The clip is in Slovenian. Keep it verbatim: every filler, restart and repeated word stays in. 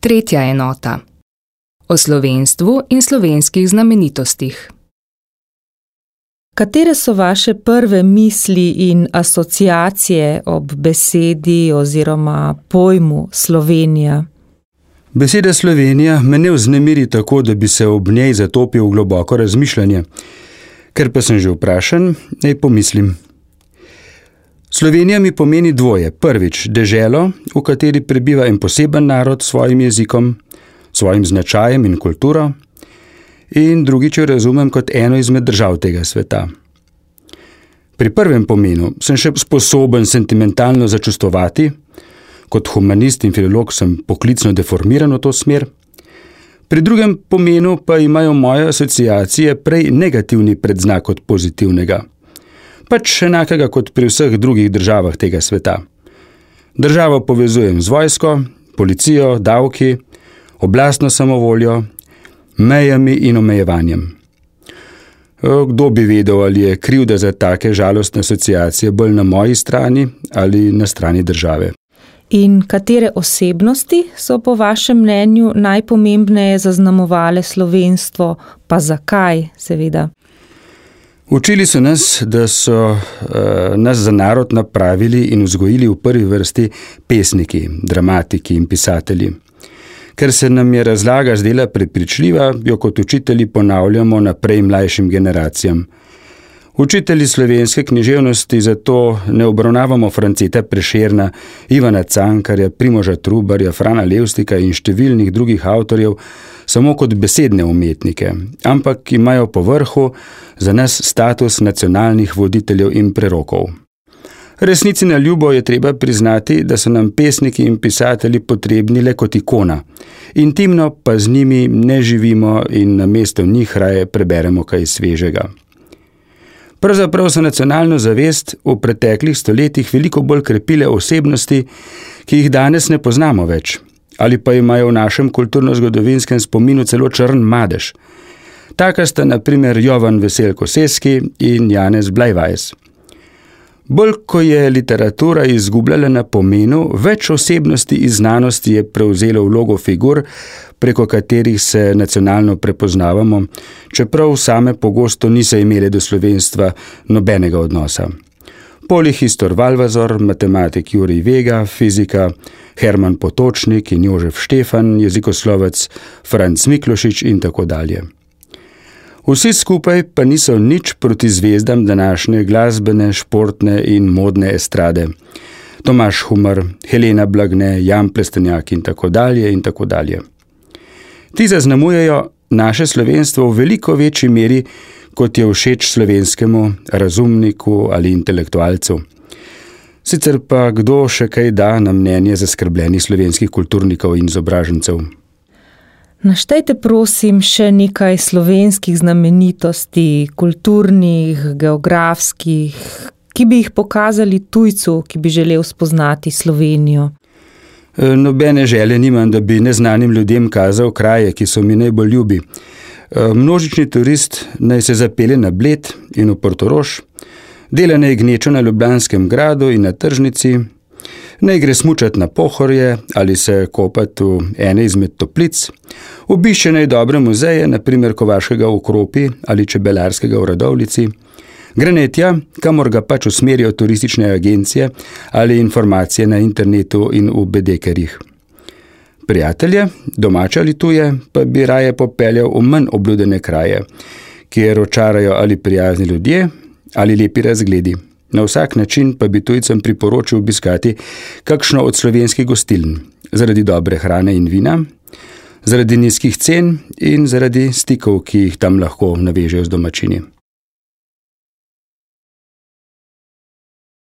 Tretja enota. O slovenstvu in slovenskih znamenitostih. Katere so vaše prve misli in asociacije ob besedi oziroma pojmu Slovenija? Beseda Slovenija me ne vznemiri tako, da bi se ob njej zatopil v globoko razmišljanje. Ker pa sem že vprašan, naj pomislim. Slovenija mi pomeni dvoje. Prvič, deželo, v kateri prebiva en poseben narod s svojim jezikom, svojim značajem in kulturo, in drugič jo razumem kot eno izmed držav tega sveta. Pri prvem pomenu sem še sposoben sentimentalno začustvovati, kot humanist in filolog sem poklicno deformiran v to smer. Pri drugem pomenu pa imajo moje asociacije prej negativni predznak od pozitivnega. Pač enakega kot pri vseh drugih državah tega sveta. Državo povezujem z vojsko, policijo, davki, oblastno samovoljo, mejami in omejevanjem. Kdo bi vedel, ali je krivda za take žalostne asociacije bolj na moji strani ali na strani države. In katere osebnosti so po vašem mnenju najpomembneje zaznamovale slovenstvo, pa zakaj, seveda? Učili so nas, da so uh, nas za narod napravili in vzgojili v prvi vrsti pesniki, dramatiki in pisatelji. Ker se nam je razlaga zdela prepričljiva, jo kot učitelji ponavljamo naprej mlajšim generacijam. Učitelji slovenske književnosti zato ne obravnavamo Franceta Prešerna, Ivana Cankarja, Primoža Trubarja, Frana Levstika in številnih drugih avtorjev samo kot besedne umetnike, ampak imajo po vrhu za nas status nacionalnih voditeljev in prerokov. Resnici na ljubo je treba priznati, da so nam pesniki in pisatelji potrebni le kot ikona. Intimno pa z njimi ne živimo in namesto njih raje preberemo kaj svežega. Pravzaprav so nacionalno zavest v preteklih stoletjih veliko bolj krepile osebnosti, ki jih danes ne poznamo več, ali pa imajo v našem kulturno-zgodovinskem spominu celo črn madež. Taka sta na primer Jovan Veselko Seski in Janez Blajvajs. Bolj ko je literatura izgubljala na pomenu, več osebnosti iz znanosti je prevzelo vlogo figur, preko katerih se nacionalno prepoznavamo, čeprav same pogosto niso imele do slovenstva nobenega odnosa. Polihistor Valvazor, matematik Jurij Vega, fizika Herman Potočnik in Jožef Štefan, jezikoslovec Franc Miklošič in tako dalje. Vsi skupaj pa niso nič proti zvezdam današnje glasbene, športne in modne estrade. Tomaž Humar, Helena Blagne, Jan Plestenjak in tako dalje in tako dalje. Ti zaznamujejo naše slovenstvo v veliko večji meri, kot je všeč slovenskemu razumniku ali intelektualcu. Sicer pa kdo še kaj da na mnenje zaskrbljenih slovenskih kulturnikov in izobražencev. Naštejte prosim še nekaj slovenskih znamenitosti, kulturnih, geografskih, ki bi jih pokazali tujcu, ki bi želel spoznati Slovenijo. Nobene želje nimam, da bi neznanim ljudem kazal kraje, ki so mi najbolj ljubi. Množični turist naj se zapelje na Bled in v Portorož, dela naj gnečo na Ljubljanskem gradu in na tržnici, naj gre smučat na Pohorje ali se kopat v ene izmed toplic, obišče naj dobre muzeje, na primer Kovaškega v Kropi ali Čebelarskega v Radovljici, gre naj tja, kamor ga pač usmerijo turistične agencije ali informacije na internetu in v bedekerjih. Prijatelje, domače ali tuje, pa bi raje popeljal v manj obljudene kraje, kjer očarajo ali prijazni ljudje ali lepi razgledi. Na vsak način pa bi tujcem priporočil obiskati kakšno od slovenskih gostiln, zaradi dobre hrane in vina, zaradi nizkih cen in zaradi stikov, ki jih tam lahko navežejo z domačini.